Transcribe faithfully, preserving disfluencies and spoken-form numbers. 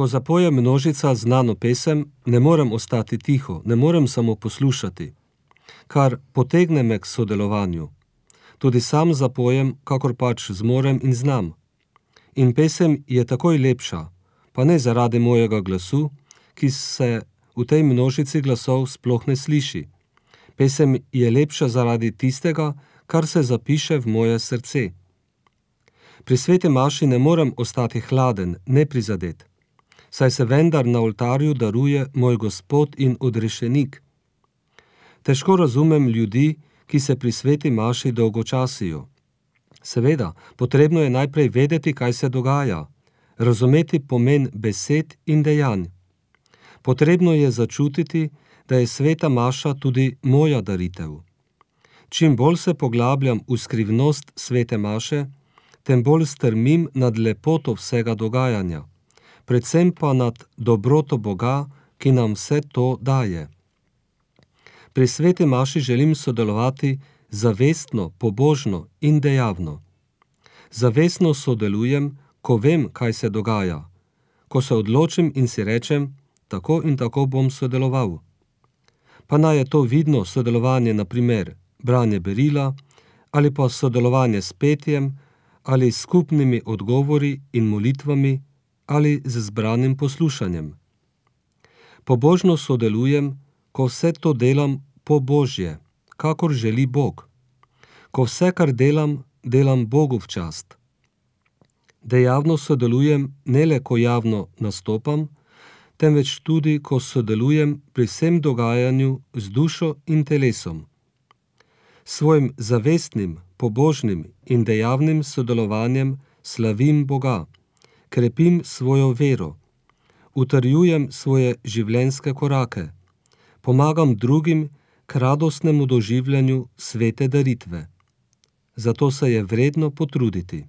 Ko zapoje množica znano pesem, ne morem ostati tiho, ne morem samo poslušati, kar potegne me k sodelovanju. Tudi sam zapojem, kakor pač zmorem in znam. In pesem je takoj lepša, pa ne zaradi mojega glasu, ki se v tej množici glasov sploh ne sliši. Pesem je lepša zaradi tistega, kar se zapiše v moje srce. Pri sveti maši ne morem ostati hladen, neprizadet, saj se vendar na oltarju daruje moj Gospod in odrešenik. Težko razumem ljudi, ki se pri sveti maši dolgočasijo. Seveda, potrebno je najprej vedeti, kaj se dogaja, razumeti pomen besed in dejanj. Potrebno je začutiti, da je sveta maša tudi moja daritev. Čim bolj se poglabljam v skrivnost svete maše, tem bolj strmim nad lepoto vsega dogajanja, predvsem pa nad dobroto Boga, ki nam vse to daje. Pri sveti maši želim sodelovati zavestno, pobožno in dejavno. Zavestno sodelujem, ko vem, kaj se dogaja, ko se odločim in si rečem, tako in tako bom sodeloval. Pa naj je to vidno sodelovanje, na primer branje berila, ali pa sodelovanje s petjem, ali s skupnimi odgovori in molitvami, ali z zbranim poslušanjem. Pobožno sodelujem, ko vse to delam po Božje, kakor želi Bog. Ko vse, kar delam, delam Bogu v čast. Dejavno sodelujem ne le, ko javno nastopam, temveč tudi, ko sodelujem pri vsem dogajanju z dušo in telesom. Svojim zavestnim, pobožnim in dejavnim sodelovanjem slavim Boga, krepim svojo vero, utrjujem svoje življenjske korake, pomagam drugim k radostnemu doživljanju svete daritve. Zato se je vredno potruditi.